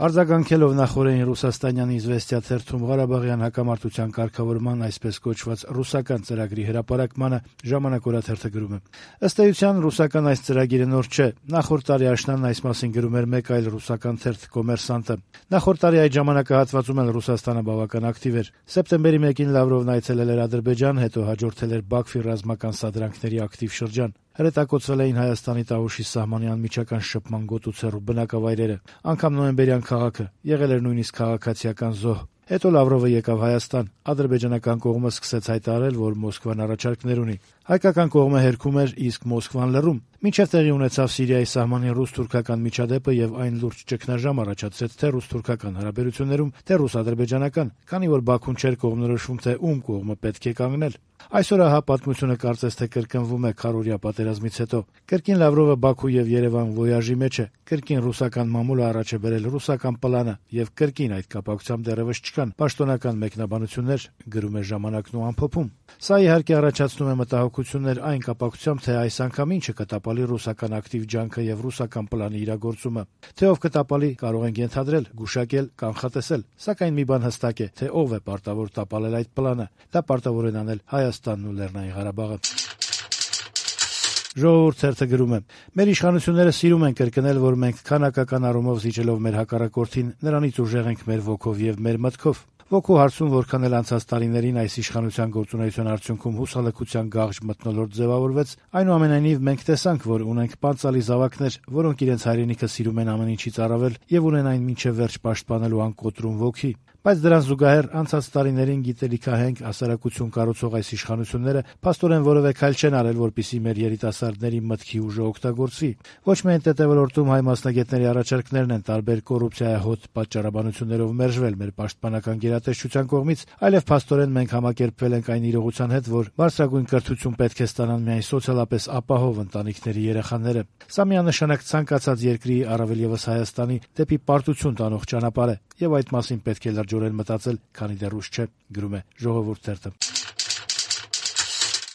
Արձագանքելով նախօրեին Ռուսաստանյան «Իզվեստիա» թերթում Ղարաբաղյան հակամարտության կարգավորման այսպես կոչված ռուսական ծրագրի հրապարակմանը «Ժամանակ» օրաթերթը գրում է. - Ըստ էության, ռուսական այս ծրագիրը նոր չէ. նախորդ տարի աշնանն այս մասին գրում էր մեկ այլ ռուսական թերթ «Կոմերսանտը»։ Նախորդ տարի այդ ժամանակահատվածում էլ Ռուսաստանը բավական ակտիվ էր։ Սեպտեմբերի 1-ին Լավրովն այցելել էր Ադրբեջան, հետո հաջորդել էր Բաքվի ռազմական սադրանքների ակտիվ շրջան։ Հրետակոծվել էին Հայաստանի Տավուշի սահմանի անմիջական շփման գոտուց հեռու բնակավայրերը, անգամ նոյեմբերյան քաղաքը, եղել էր նույնիսկ քաղաքացիական զոհ։ Հետո Լավրովը եկավ Հայաստան, ադրբեջանական կողմը սկսեց հայտարարել, որ Մոսկվան առաջարկներ ունի։ Հայկական կողմը հերքում էր, իսկ Մոսկվան լռում։ Մինչև տեղի ունեցավ Սիրիայի սահմանին ռուս-թուրքական միջադեպը եւ այն լուրջ ճգնաժամ առաջացրեց թե ռուս-թուրքական հարաբերություններում, թե ռուս-ադրբեջանական, քանի որ Բաքուն չէր կողմնորոշվում, թե ում կողմը պետք է կանգնել։ Այսօր ահա պատմությունը կարծես թե կրկնվում է քառօրյա պատերազմից հետո։ Կրկին Լավրովը Բաքու եւ Երևան վոյաժի մեջ է, կրկին ռուսական մամուլը առաջ է բերել ռուսական պլանը եւ կրկին այդ կապակցությամբ դեռևս չկան պաշտոնական մեկնաբանություններ, գրում է «Ժամանակն» ու ամփոփում։ Սա իհարկե առաջացնում է մտահոգություններ այն կապակցությամբ, թե այս անգամ ինչը կտապալի ռուսական ակտիվ ջանքը եւ ռուսական պլանի իրագործումը։ Թե ով կտապալի, կարող ենք ենթադրել, գուշակել, կանխատեսել, սակայն մի բան հստակ է, թե ով է պարտավոր տապալել այդ պլանը։ Դա պարտավոր են անել Հայաստանն ու Լեռնային Ղարաբաղը։ «Ժողովուրդ» թերթը գրում է. - «Մեր իշխանությունները սիրում են կրկնել, որ մենք քանակական առումով զիջելով մեր հակառակորդին, նրանից ուժեղ ենք մեր ոգով եւ մեր մտքով։ Ոգու հարցում որքան էլ անցած տարիներին այս իշխանության գործունեության արդյունքում հուսալքության գաղջ մթնոլորտ ձևավորվեց, այնուամենայնիվ մենք տեսանք, որ ունենք պանծալի զավակներ, որոնք իրենց հայրենիքը սիրում են ամեն ինչից առավել եւ ունեն այն մինչեւ վերջ պաշտպանելու անկոտրում ոգի։ Բայց դրան զուգահեռ անցած տարիներին գիտելիքահենք հասարակություն կառուցող այս իշխանությունները փաստորեն որևէ քայլ չեն արել, որպեսզի մեր երիտասարդների մտքի ուժը օգտագործվի։ Ոչ միայն ՏՏ-ոլորտում հայ մասնագետների առաջարկներն են տարբեր կոռուպցիայահոտ պատճառաբանություններով մերժվել մեր պաշտպանական գերատեսչության կողմից, այլև փաստորեն մենք համակերպվել ենք այն իրողության հետ, որ բարձրագույն կրթություն պետք է ստանան միայն սոցիալապես ապահով ընտանիքների երեխաները։ Սա միանշանակ ցանկացած երկրի, առավել եւս Հայաստանի, դեպի պարտություն տանող ճանապարհ է, եւ այդ մասին պետք է լրջորեն մտածել, քանի դեռ ուշ չէ, գրում է «Ժողովուրդ» թերթը։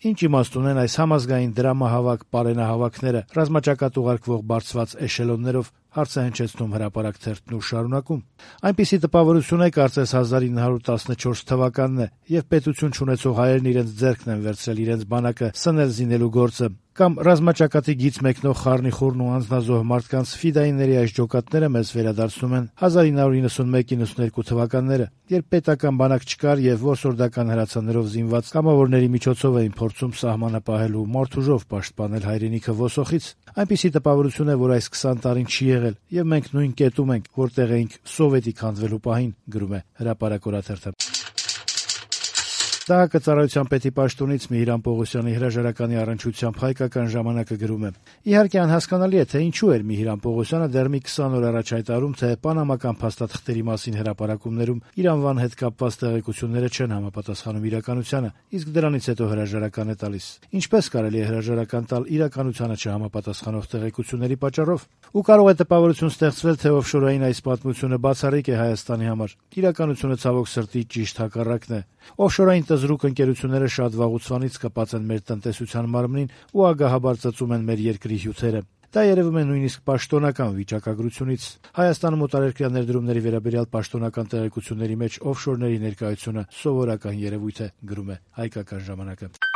Ինչ իմաստ ունեն այս համազգային դրամահավաք պարենահավաքները, ռազմաճակատ ուղարկվող բարձված էշելոններով, հարց է հնչեցնում «Հրապարակ» թերթն ու շարունակում. այնպիսի տպավորություն է, կարծես 1914 թվականն է, եւ պետություն չունեցող հայերն իրենց ձեռքն են վերցրել իրենց բանակը սնել զինելու գործը, կամ ռազմաճակատի գիծ մեկնող խառնիխուռն ու անձնազոհ մարդկանց ֆիդայիների այս ջոկատները մեզ վերադարձնում են 1991-92 թվականները, երբ պետական բանակ չկար եւ որսորդական հրացաններով զինված կամավորների միջոցով էին փորձում սահմանը պահելու մարդուժով պաշտպանել հայրենիքը ոսոխից։ Այնպիսի տպավորություն է, որ այս 20 տարին չի եղել, եւ մենք նույն կետում ենք, որտեղ էինք սովետի քանդվելու պահին, գրում է «Հրապարակ» օրաթերթը։ Դահակը պետի պաշտոնից Միհիրան Պողոսյանի հրաժարականի առնչությամբ Հայկական ժամանակը գրում է. իհարկե անհասկանալի է, թե ինչու էր Միհիրան Պողոսյանը դեռ մի 20 օր առաջ հայտարարում, թե պանամական փաստաթղթերի մասին հրապարակումներում իր անվան հետ կապված տեղեկությունները չեն համապատասխանում իրականությանը, իսկ դրանից հետո հրաժարական է տալիս։ Ինչպես կարելի է հրաժարական տալ իրականությանը չհամապատասխանող տեղեկությունների պատճառով։ Ու կարող է տպավորություն ստեղծվել, թե օֆշորային այս պատմությունը բացառիկ է Հայաստանի համար։ Իրականությունը ցավոք սրտի ճիշտ հակառակն է։ Օֆշորային զրուկ ընկերությունները շատ վաղուց կապած են մեր տնտեսության մարմնին ու ագահաբար ծծում են մեր երկրի հյութերը։ Դա երևում է նույնիսկ պաշտոնական վիճակագրությունից։ Հայաստանում օտարերկրյա ներդրումների վերաբերյալ պաշտոնական տեղեկությունների մեջ օֆշորների ներկայությունը սովորական երևույթ է, գրում է Հայկական ժամանակը։